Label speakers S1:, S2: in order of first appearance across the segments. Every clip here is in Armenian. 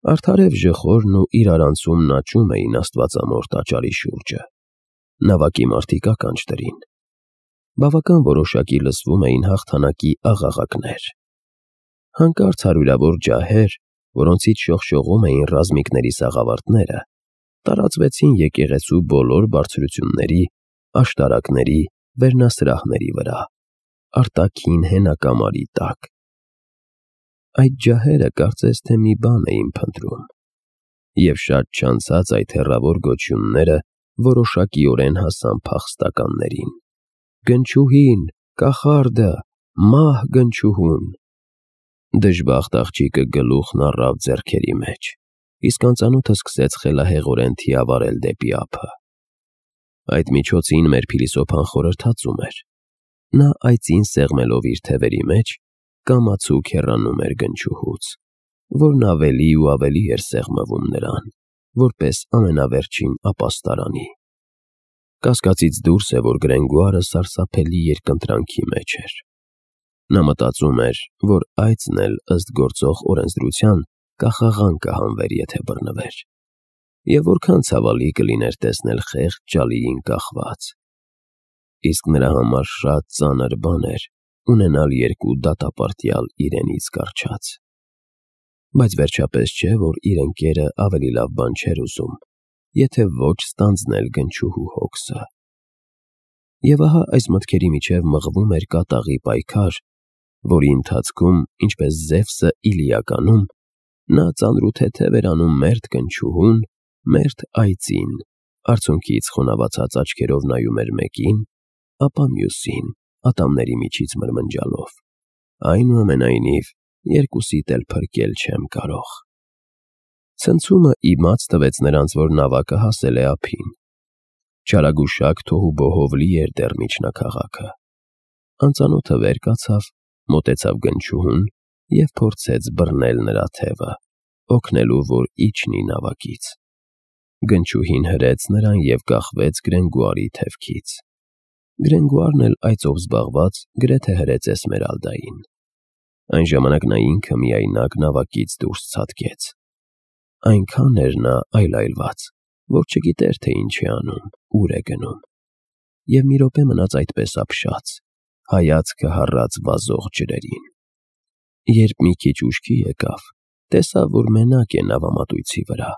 S1: Արդարև ժխորն ու իրարանցումն աճում էին աստվածամոր տաճարի շուրջը, նավակի մարդիկ ականջ դրին, բավական որոշակի լսվում էին հաղթանակի աղաղակներ, հանկարծ հարյուրավոր ջահեր, որոնցից շողշողում էին ռազմիկների սաղավարտները, տարածվեցին եկեղեցու բոլոր բարձրությունների, աշտարակների, վերնասրահների վրա, արտաքին հենակամարի տակ։ Այդ ջահերը կարծես թե մի բան էին փնտրում, և շատ չանցած այդ հեռավոր գոչյունները որոշակիորեն հասան փախստականներին. «Գնչուհին, կախարդը, մահ գնչուհուն»։ Դժբախտ աղջիկը գլուխն առավ ձեռքերի մեջ, իսկ անծանոթը սկսեց խելահեղորեն թիավարել դեպի ափը։ Այդ միջոցին մեր փիլիսոփան խորհրդածում էր. նա այծին սեղմելով իր թևերի մեջ, կամացուկ հեռանում էր գնչուհուց, որն ավելի ու ավելի էր սեղմվում նրան, որպես ամենավերջին ապաստարանի։ Կասկածից դուրս է, որ Գրենգուարը սարսափելի երկընտրանքի մեջ էր։ Նա մտածում էր, որ այծն էլ ըստ գործող օրենսդրության կախաղան կհանվեր, եթե բռնվեր, և որքան ցավալի կլիներ տեսնել խեղճ ջալիին կախված։ Իսկ նրա համար շատ ծանր բան էր ունենալ երկու դատապարտյալ իրենից կառչած։ Բայց վերջապես չէ, որ իր ընկերը ավելի լավ բան չէր ուզում, եթե ոչ ստանձնել գնչուհու հոգսը։ Եվ ահա այս մտքերի միջև մղվում էր կատաղի պայքար, որի ընթացքում, ինչպես Զևսը Իլիականում, նա ծանրութեթև էր անում մերթ գնչուհուն, մերթ այծին, արցունքից խոնավացած աչքերով նայում էր մեկին, ապա մյուսին, ատամների միջից մրմնջալով. այնուամենայնիվ, երկուսիդ էլ փրկել չեմ կարող։ Ցնցումը իմաց տվեց նրանց, որ նավակը հասել է ափին։ Չարագուշակ թոհուբոհով լի էր դեռ միջնաքաղաքը։ Անծանոթը վեր կացավ, մոտեցավ գնչուհուն և փորձեց բռնել նրա թևը, օգնելու, որ իջնի նավակից։ Գնչուհին հրեց նրան և կախվեց Գրենգուարի թևքից։ Գրենգուարն էլ այծով զբաղված գրեթե հրեց Էսմերալդային։ Այն ժամանակ նա ինքը միայնակ նավակից դուրս ցատկեց։ Այնքան էր նա այլայլված, որ չգիտեր, թե ինչ է անում, ուր է գնում։ Եվ մի րոպե մնաց այդպես ապշած, հայացքը հառած վազող ջրերին։ Երբ մի քիչ ուշքի եկավ, տեսավ, որ մենակ է նավամատույցի վրա,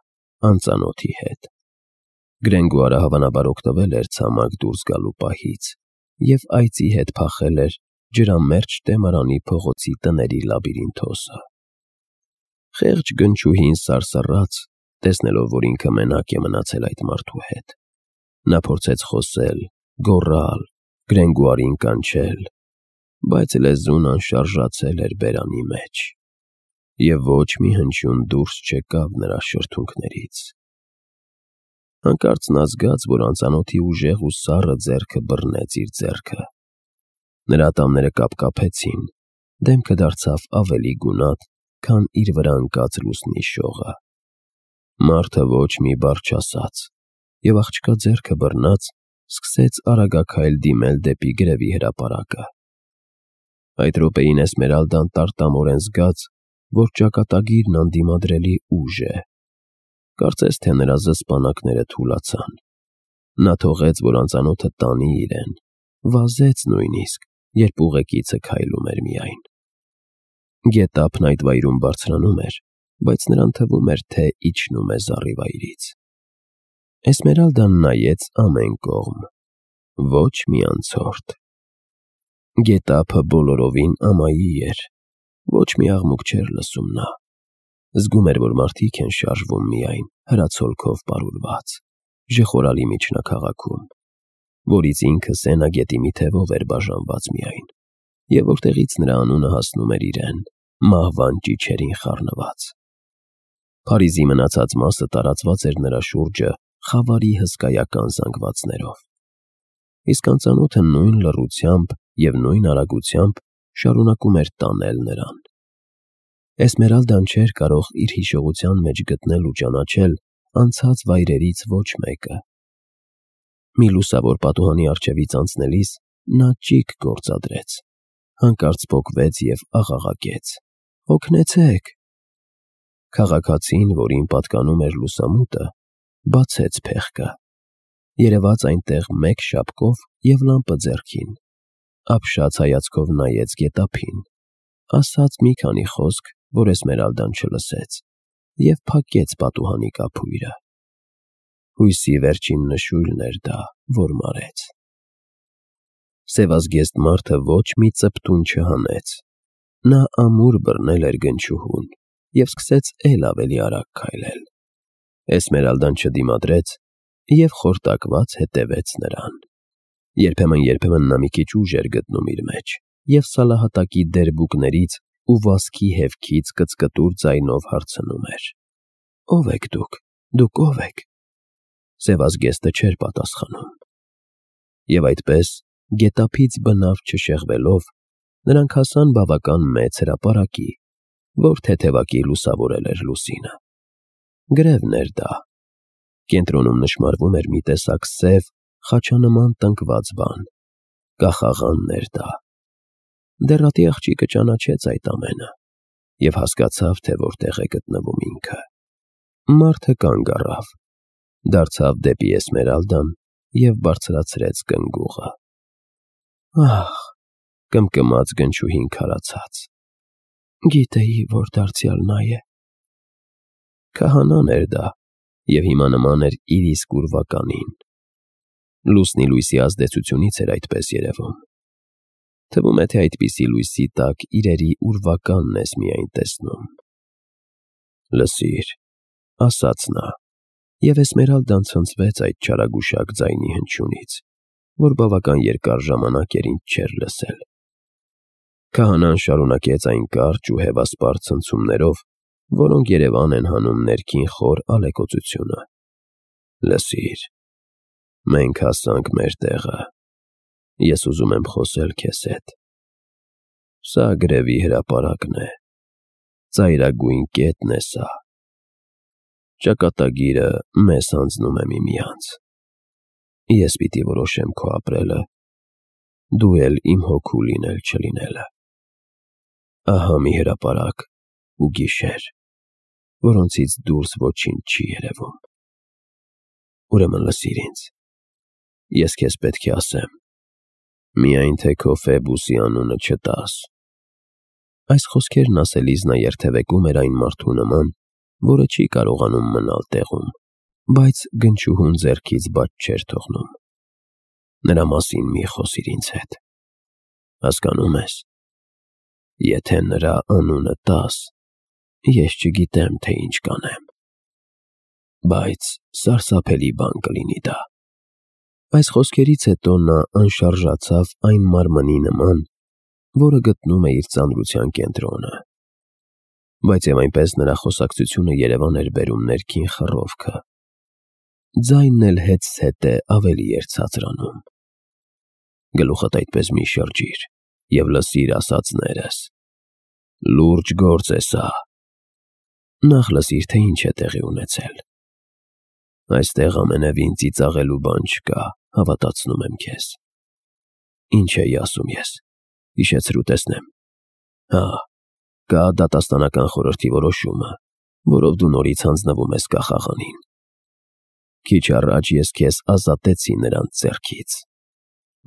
S1: անծանոթի հետ։ Գրենգուարը հավանաբար օգտվել էր ցամաք դուրս գալու պահից և այծի հետ փախել էր ջրամերձ Տեմարանի փողոցի տների լաբիրինթոսը։ Խեղճ գնչուհին սարսռաց, տեսնելով, որ ինքը մենակ է մնացել այդ մարդու հետ։ Նա փորձեց խոսել, գոռալ, Գրենգուարին կանչել, բայց լեզուն անշարժացել էր բերանի մեջ, և ոչ մի հնչյուն դուրս չեկավ նրա շրթունքներից։ Հանկարծ նա զգաց, որ անծանոթի ուժեղ ու սառը ձեռքը բռնեց իր ձեռքը։ Նրա ատամները կապկապեցին, դեմքը դարձավ ավելի գունատ, քան իր վրա ընկած լուսնի շողը։ Մարդը ոչ մի բառ չասաց, և աղջկա ձեռքը բռնած, սկսեց արագաքայլ դիմել դեպի գրևի հրապարակը։ Այդ րոպեին Էսմերալդան տարտամորեն զգաց, որ ճակատագիրն անդիմադրելի ուժ է։ Կարծես թե նրա զսպանակները թուլացան։ Նա թողեց, որ անծանոթը տանի իրեն, վազեց նույնիսկ, երբ ուղեկիցը քայլում էր միայն։ Գետափն այդ վայրում բարձրանում էր, բայց նրան թվում էր, թե իջնում է զառիվայրից։ Էսմերալդան նայեց ամեն կողմ։ Ոչ մի անցորդ։ Գետափը բոլորովին ամայի էր, ոչ մի աղմուկ չէր լսում նա։ Զգում էր, որ մարդիկ են շարժվում միայն, հրացոլքով պարուրված, ժխորալի միջնաքաղաքում, որից ինքը Սենագետի մի թևով էր բաժանված միայն, և որտեղից նրա անունը հասնում էր իրեն, մահվան ճիչերին խառնված։ Փարիզի մնացած մասը տարածված էր նրա շուրջը խավարի հսկայական զանգվածներով։ Իսկ անծանոթը նույն լռությամբ և նույն արագությամբ շարունակում էր տանել նրան։ Էսմերալդան չէր կարող իր հիշողության մեջ գտնել ու ճանաչել անցած վայրերից ոչ մեկը։ Մի լուսավոր պատուհանի առջևից անցնելիս նա ճիգ գործադրեց, հանկարծ պոկվեց և աղաղակեց. «Օգնեցե՛ք»։ Քաղաքացին, որին պատկանում էր լուսամուտը, բացեց փեղկը, երևաց այնտեղ մեկ շապկով և լամպը ձեռքին, ապշած հայացքով նայեց գետափին, ասաց մի քանի խոսք, որ Էսմերալդան չլսեց, և փակեց պատուհանի կափույրը։ Հույսի վերջին նշույլն էր դա, որ մարեց։ Սևազգեստ մարդը ոչ մի ծպտուն չհանեց։ Նա ամուր բռնել էր գնչուհուն և սկսեց էլ ավելի արագ քայլել։ Էսմերալդան չդիմադրեց և խորտակված հետևեց նրան։ Երբեմն նա մի քիչ ուժ էր գտնում իր մեջ և սալահատակի դերբուկներից ու վազքի հևքից կծկտուր ձայնով հարցնում էր. «Ո՞վ եք դուք, դուք ո՞վ եք»։ Սևազգեստը չէր պատասխանում։ Եվ այդպես, գետափից բնավ չշեղվելով, նրանք հասան բավական մեծ հրապարակի, որ թեթևակի լուսավորել էր լուսինը։ Գրևն էր դա։ Կենտրոնում նշմարվում էր մի տեսակ սև, խաչանման տնկված բան։ Կախաղանն էր դա։ Դեռատի աղջիկը ճանաչեց այդ ամենը և հասկացավ, թե որտեղ է գտնվում ինքը։ Մարդը կանգ առավ, դարձավ դեպի Էսմերալդան և բարձրացրեց կնգուղը։ «Ահ», կմկմաց գնչուհին քարացած, «գիտեի, որ դարձյալ նա է»։ Քահանան էր դա և հիմա նման էր իր իսկ ուրվականին։ Լուսնի լույսի ազդեցությունից էր այդպես երևում։ Թվում է, թե այդպիսի լույսի տակ իրերի ուրվականն ես միայն տեսնում։ «Լսիր», ասաց նա, և Էսմերալդան ցնցվեց այդ չարագուշակ ձայնի հնչյունից, որ բավական երկար ժամանակ էր ինչ չէր լսել։ Քահանան շարունակեց այն կարճ ու հևասպառ ցնցումներով, որոնք երևան են հանում ներքին խոր ալեկոծությունը։ «Լսիր, մենք հասանք մեր տեղը։ Ես ուզում եմ խոսել քեզ հետ։ Սա գրևի հրապարակն է։ Ծայրագույն կետն է սա։ Ճակատագիրը մեզ հանձնում է միմյանց։ Ես պիտի որոշեմ քո ապրելը, դու էլ իմ հոգու լինել-չլինելը։ Ահա մի հրապարակ ու գիշեր, որոնցից դուրս ոչինչ չի երևում։ Ուրեմն լսիր ինձ։ Ես քեզ պետք է ասեմ, միայն թե քո Ֆեբուսի անունը չտաս»։ Այս խոսքերն ասելիս նա երթևեկում էր այն մարդու նման, որը չի կարողանում մնալ տեղում, բայց գնչուհուն ձեռքից բաց չէր թողնում։ «Նրա մասին մի խոսիր ինձ հետ։ Հասկանո՞ւմ ես։ Եթե նրա անունը տաս, ես չգիտեմ, թե ինչ կանեմ։ Բայց սարսափելի բան կլինի դա»։ Այս խոսքերից հետո նա անշարժացավ այն մարմնի նման, որը գտնում է իր ծանրության կենտրոնը։ Բայց և այնպես նրա խոսակցությունը երևան էր բերում ներքին խռովքը։ Ձայնն էլ հետզհետե ավելի էր ցածրանում։ «Գլուխդ այդպես մի շրջիր և լսիր ասածներս։ Լուրջ գործ է սա։ Նախ լսիր, թե ինչ է տեղի ունեցել։ Այստեղ ամենևին ծիծաղելու բան չկա, հավատացնում եմ քեզ։ Ինչ էի ասում ես, հիշեցրու տեսնեմ։ Հա, կա դատաստանական խորհրդի որոշումը, որով դու նորից հանձնվում ես կախաղանին։ Քիչ առաջ ես քեզ ազատեցի նրանց ձեռքից,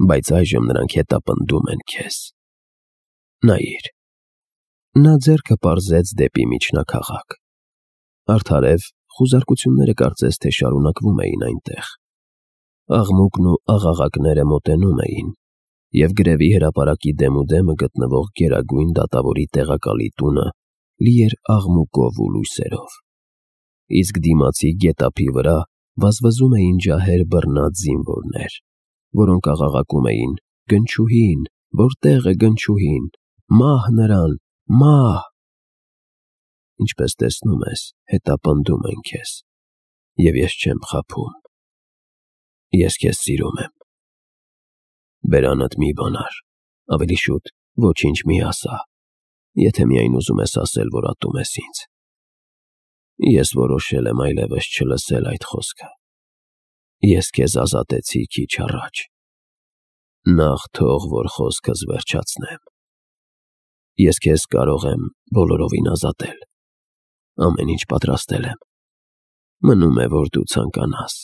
S1: բայց այժմ նրանք հետապնդում են քեզ։ Նայիր»։ Նա ձեռքը պարզեց դեպի միջնաքաղաք։ Արդարև, խուզարկությունները կարծես թե շարունակվում էին այնտեղ։ Աղմուկն ու աղաղակները մոտենում էին, և գրևի հրապարակի դեմուդեմը գտնվող Գերագույն դատավորի տեղակալի տունը լի էր աղմուկով ու լույսերով։ Իսկ դիմացի գետափի վրա վազվզում էին ջահեր բռնած զինվորներ, որոնք աղաղակում էին. «Գնչուհին, որտե՞ղ է գնչուհին, մահ նրան, մահ»։ Ինչպես տեսնում ես, հետապնդում են քեզ, և ես չեմ խաբում։ Ես քեզ սիրում եմ։ Բերանդ մի բանար, ավելի շուտ ոչինչ մի ասա, եթե միայն ուզում ես ասել, որ ատում ես ինձ։ Ես որոշել եմ այլևս չլսել այդ խոսքը։ Ես քեզ ազատեցի քիչ առաջ։ Նախ թող որ խոսքս վերջացնեմ։ Ես քեզ կարող եմ բոլորովին ազատել, Ամեն ինչ պատրաստել եմ։ Մնում է, որ դու ցանկանաս։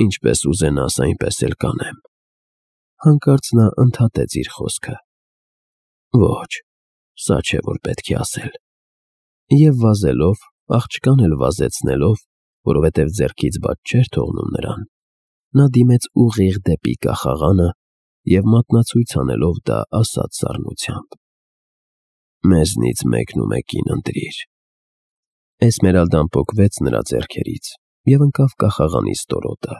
S1: Ինչպես ուզենաս, այնպես էլ կանեմ։ Հանկարծ նա ընդհատեց իր խոսքը։ Ոչ, սա չէ, որ պետք է ասել։ Եվ վազելով, աղջկան էլ վազեցնելով, որովհետև ձեռքից բաց չէր թողնում նրան, նա դիմեց ուղիղ դեպի կախաղանը և մատնացույց անելով դա ասաց սառնությամբ. «Մեզնից մեկն ու մեկին ընտրիր»։ Էսմերալդան պոկվեց նրա ձեռքերից և ընկավ կախաղանի ստորոտը,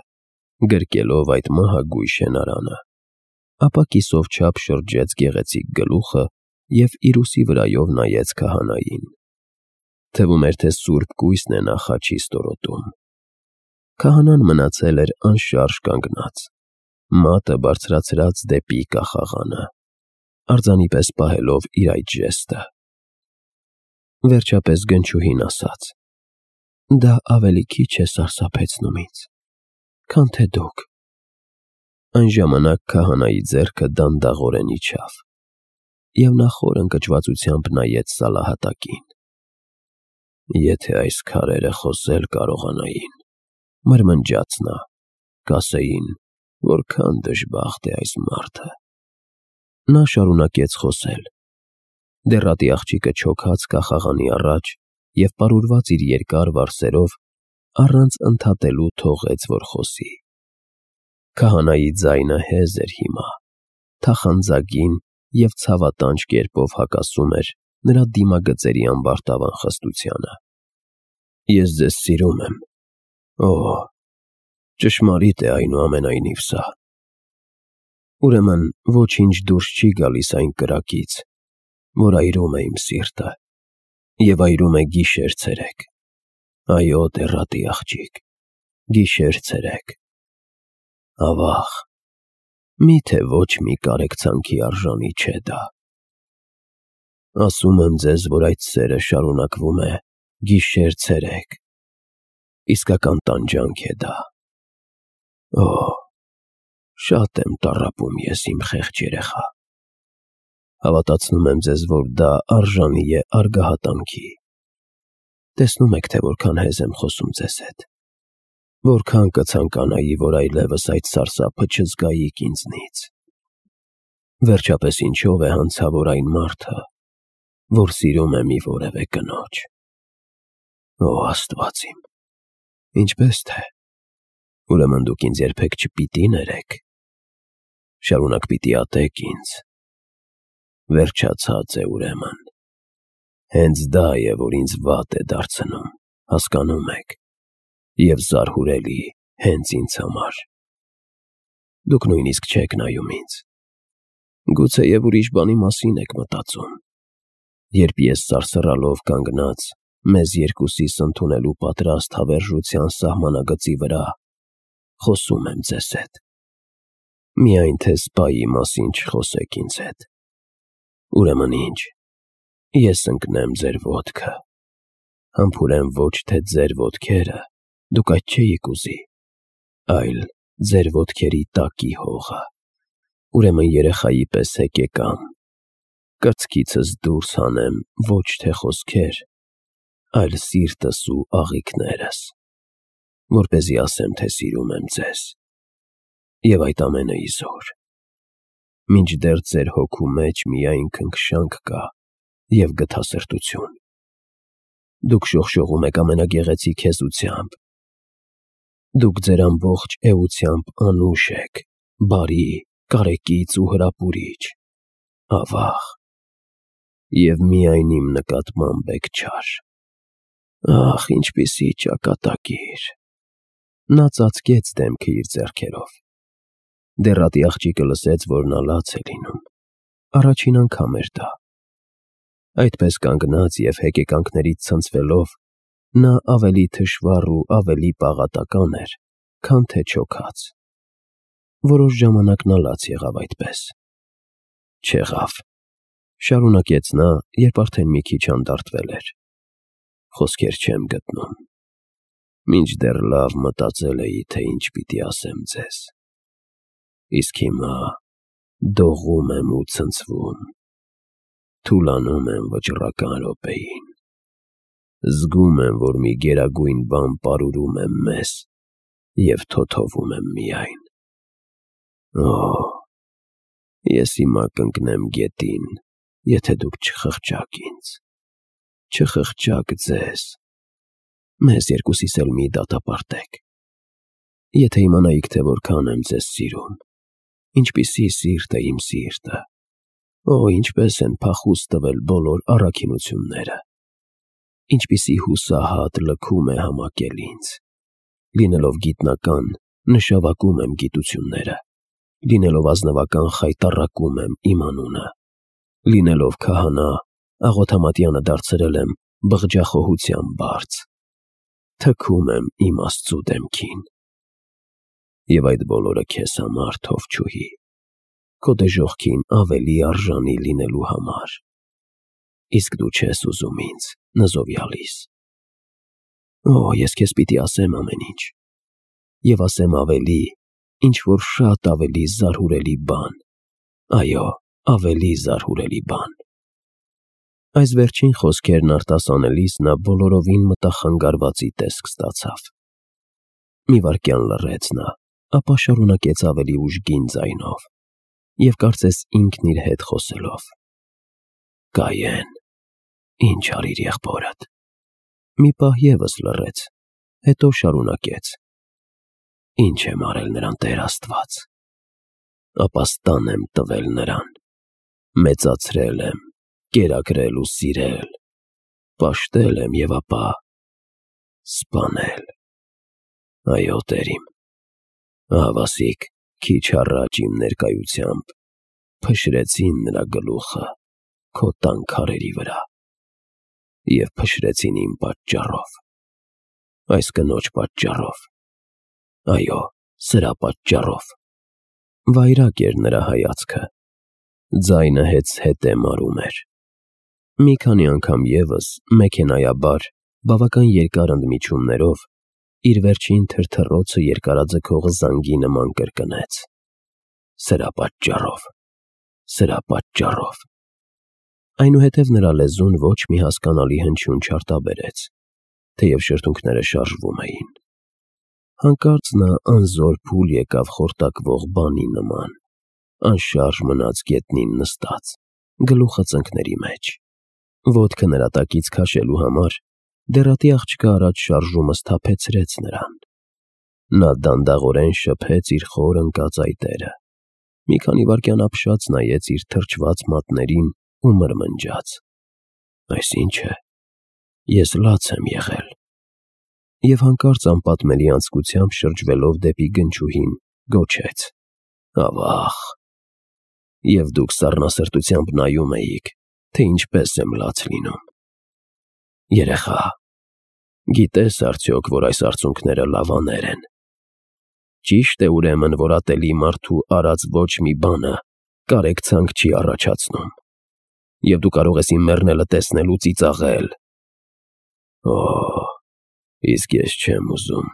S1: գրկելով այդ մահագույժ շենարանը, ապա կիսով չափ շրջեց գեղեցիկ գլուխը և իր ուսի վրայով նայեց քահանային։ Թվում էր, թե սուրբ կույսն է նա խաչի ստորոտում։ Քահանան մնացել էր անշարժ կանգնած, մատը բարձրացրած դեպի կախաղանը, արձանի պես պահելով իր այդ ժեստը։ Վերջապես գնչուհին ասաց. «Դա ավելի քիչ է սարսափեցնում ինձ, քան թե դուք»։ Այն ժամանակ քահանայի ձեռքը դանդաղորեն իջավ, և նա խոր ընկճվածությամբ նայեց Սալահատակին։ «Եթե այս քարերը խոսել կարողանային, մրմնջաց նա, կասեին, որքան դժբախտ է այս մարդը»։ Նա շարունակեց խոսել։ Դեռատի աղջիկը չոքաց կախաղանի առաջ և պարուրված իր երկար վարսերով առանց ընդհատելու թողեց, որ խոսի։ Քահանայի ձայնը հեզ էր հիմա, թախանձագին և ցավատանջ կերպով հակասում էր նրա դիմագծերի ամբարտավան խստությանը։ «Ես ձեզ սիրում եմ։ Օ, ճշմարիտ է այնուամենայնիվ սա։ Ուրեմն ոչինչ դուրս չի գալիս այն կրակից, որ այրում է իմ սիրտը և այրում է գիշեր֊ցերեկ։ Այո, դեռատի աղջիկ, գիշեր֊ցերեկ։ Ավաղ, միթե ոչ մի կարեկցանքի արժանի չէ դա։ Ասում եմ ձեզ, որ այդ սերը շարունակվում է գիշեր֊ցերեկ։ Իսկական տանջանք է դա։ Օ, շատ եմ տառապում ես, իմ խեղճ երեխա։ Հավատացնում եմ ձեզ, որ դա արժանի է արգահատանքի։ Տեսնում եք, թե որքան հեզ եմ խոսում ձեզ հետ։ Որքան կցանկանայի, որ այլևս այդ սարսափը չզգայիք ինձնից։ Վերջապես ինչով է հանցավոր այն մարդը, որ սիրում է մի որևէ կնոջ։ Օ, Աստված իմ, ինչպես թե։ Ուրեմն դուք ինձ երբեք չպիտի ներեք։ Շարունակ պիտի ատեք ինձ։ Վերջացած է ուրեմն։ Հենց դա է, որ ինձ վատ է դարձնում, հասկանում եք, և զարհուրելի հենց ինձ համար։ Դուք նույնիսկ չեք նայում ինձ։ Գուցեև ուրիշ բանի մասին եք մտածում, երբ ես սարսռալով կանգնած, մեզ երկուսիս ընդունելու պատրաստ հավերժության սահմանագծի վրա, խոսում եմ ձեզ հետ։ Միայն թե սպայի մասին չխոսեք ինձ հետ։ Ուրեմն ինչ, ես ընկնեմ ձեր ոտքը, համբուրեմ ոչ թե ձեր ոտքերը, դուք այդ չէիք ուզի, այլ ձեր ոտքերի տակի հողը։ Ուրեմն երեխայի պես հեկեկամ, կրծքիցս դուրս հանեմ ոչ թե խոսքեր, այլ սիրտս ու աղիքներս, որպեսզի ասեմ, թե սիրում եմ ձեզ, և այդ ամենը իզուր, մինչդեռ ձեր հոգու մեջ միայն քնքշանք կա և գթասրտություն։ Դուք շողշողում եք ամենագեղեցիկ հեզությամբ։ Դուք ձեր ամբողջ էությամբ անուշ եք, բարի, կարեկից ու հրապուրիչ։ Ավաղ, և միայն իմ նկատմամբ եք չար։ Ախ, ինչպիսի ճակատագիր։ Նա ծածկեց դեմքը իր ձեռքերով։ Դեռատի աղջիկը լսեց, որ նա լաց է լինում։ Առաջին անգամ էր դա։ Այդպես կանգնած և հեկեկանքներից ցնցվելով, նա ավելի թշվառ ու ավելի պաղատական էր, քան թե չոքած։ Որոշ ժամանակ նա լաց եղավ այդպես։ Չեղավ, շարունակեց նա, երբ արդեն մի քիչ անդարտվել էր։ Խոսքեր չեմ գտնում։ Մինչդեռ լավ մտածել էի, թե ինչ պիտի ասեմ ձեզ։ Իսկ հիմա դողում եմ ու ցնցվում, թուլանում եմ վճռական րոպեին։ Զգում եմ, որ մի գերագույն բան պարուրում եմ մեզ և թոթովում եմ միայն։ Ես հիմա կընկնեմ գետին, եթե դուք չխղճաք ինձ, չխղճաք ձեզ, մեզ երկուսիս էլ մի դատապարտեք։ Եթե իմանայիք, թե որքան եմ ձեզ սիրում, ինչպիսի սիրտ է իմ սիրտը, ինչպես են փախուստ տվել բոլոր առաքինությունները, ինչպիսի հուսահատ լքում է համակել ինձ, լինելով գիտնական, նշավակում եմ գիտությունները, լինելով ազնվական խայտառակում եմ իմ անունը, լինելով քահանա, աղոթամատյանը դարձրել եմ բղջախոհության բարձ, թքում եմ իմ Աստծու դեմքին։ Եվ այդ բոլորը քեզ համար, թովչուհի, քո դժոխքին ավելի արժանի լինելու համար, իսկ դու չես ուզում ինձ նզովյալիս։ Ես քեզ պիտի ասեմ ամեն ինչ, և ասեմ ավելի, ինչ-որ շատ ավելի զարհուրելի բան, այո, ավելի զարհուրելի բան։ Այս վերջին խոսքերն արտասանելիս նա բոլորովին մտախանգարվածի տեսք ստացավ։ Մի վայրկյան լռեց նա, ապա շարունակեց ավելի ուժգին ձայնով և կարծես ինքն իր հետ խոսելով. «Կայեն, ինչ արիր եղբորդ»։ Մի պահ ևս լռեց, հետո շարունակեց. «Ինչ եմ արել նրան, Տեր Աստված, ապաստան եմ տվել նրան, մեծացրել եմ, կերակրել ու սիրել, պաշտել եմ և ապա սպանել։ Այո, Տեր իմ, ահավասիկ քիչ առաջ իմ ներկայությամբ փշրեցին նրա գլուխը քո տան քարերի վրա և փշրեցին իմ պատճառով, այս կնոջ պատճառով, այո, սրա պատճառով»։ Վայրագ էր նրա հայացքը, ձայնը հեծհետ մարում էր։ Մի քանի անգամ ևս մեքենայաբար, բավական երկար ընդմիջումներով իր վերջին թրթռոցը երկարաձգող զանգի նման կրկնեց. «Սրա պատճառով, սրա պատճառով»։ Այնուհետև նրա լեզուն ոչ մի հասկանալի հնչյուն չարտաբերեց, թեև շրթունքները շարժվում էին։ Հանկարծ նա անզոր փուլ եկավ խորտակվող բանի նման, անշարժ մնաց գետնին նստած, գլուխը ծնկների մեջ։ Ոտքը նրա տակից քաշելու համար դեռատի աղջկա առաջ շարժումը սթափեցրեց նրան։ Նա դանդաղորեն շփեց իր խոր ընկած այտերը, մի քանի վայրկյան ապշած նայեց իր թրջված մատներին ու մրմնջաց. «Այս ի՞նչ է, ես լաց եմ եղել»։ Եվ հանկարծ անպատմելի անձկությամբ շրջվելով դեպի գնչուհին գոչեց. «Ավա՜ղ»։ Եվ դուք սառնասրտությամբ նայում էիք, թե ինչպես եմ լաց լինում։ Երեխա, գիտես արդյոք, որ այս արցունքները լավաներ են։ Ճիշտ է ուրեմն, որ ատելի մարդու արած ոչ մի բանը կարեկցանք չի առաջացնում, և դու կարող ես իմ մեռնելը տեսնել ու ծիծաղել։ Իսկ ես չեմ ուզում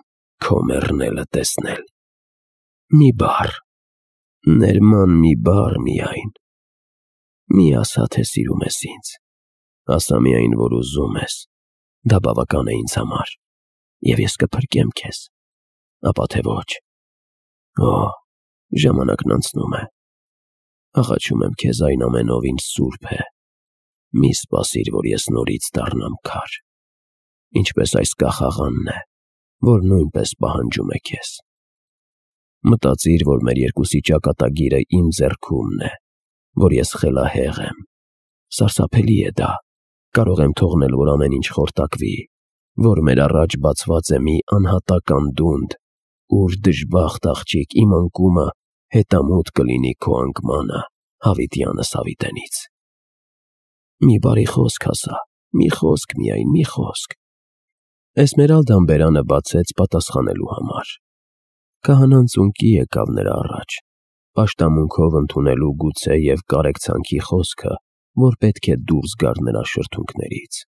S1: քո մեռնելը տեսնել։ Մի բառ, ներման մի բառ միայն։ Մի ասա, թե սիրում ես ինձ, ասա միայն, որ ուզում ես, դա բավական է ինձ համար, և ես կփրկեմ քեզ, ապա թե ոչ։ Ժամանակն անցնում է, աղաչում եմ քեզ այն ամենով, ինչ սուրբ է, մի սպասիր, որ ես նորից դառնամ քար, ինչպես այս կախաղանն է, որ նույնպես պահանջում է քեզ։ Մտածիր, որ մեր երկուսի ճակատագիրը իմ ձեռքումն է, որ ես խելահեղ եմ։ Սարսափելի է դա, կարող եմ թողնել, որ ամեն ինչ խորտակվի, որ մեր առաջ բացված է մի անհատական դունդ, ուր դժբախտ աղջիկ իմ անկումը հետամուտ կլինի քո անկմանը հավիտյանս հավիտենից։ Մի բարի խոսք ասա, մի խոսք միայն, մի խոսք։ Էսմերալդան բերանը բացեց պատասխանելու համար։ Քահանան ծունկի եկավ նրա առաջ, պաշտամունքով ընդունելու գուցե և կարեկցանքի խոսքը, որ պետք է դուրս գար նրա շրթունքներից։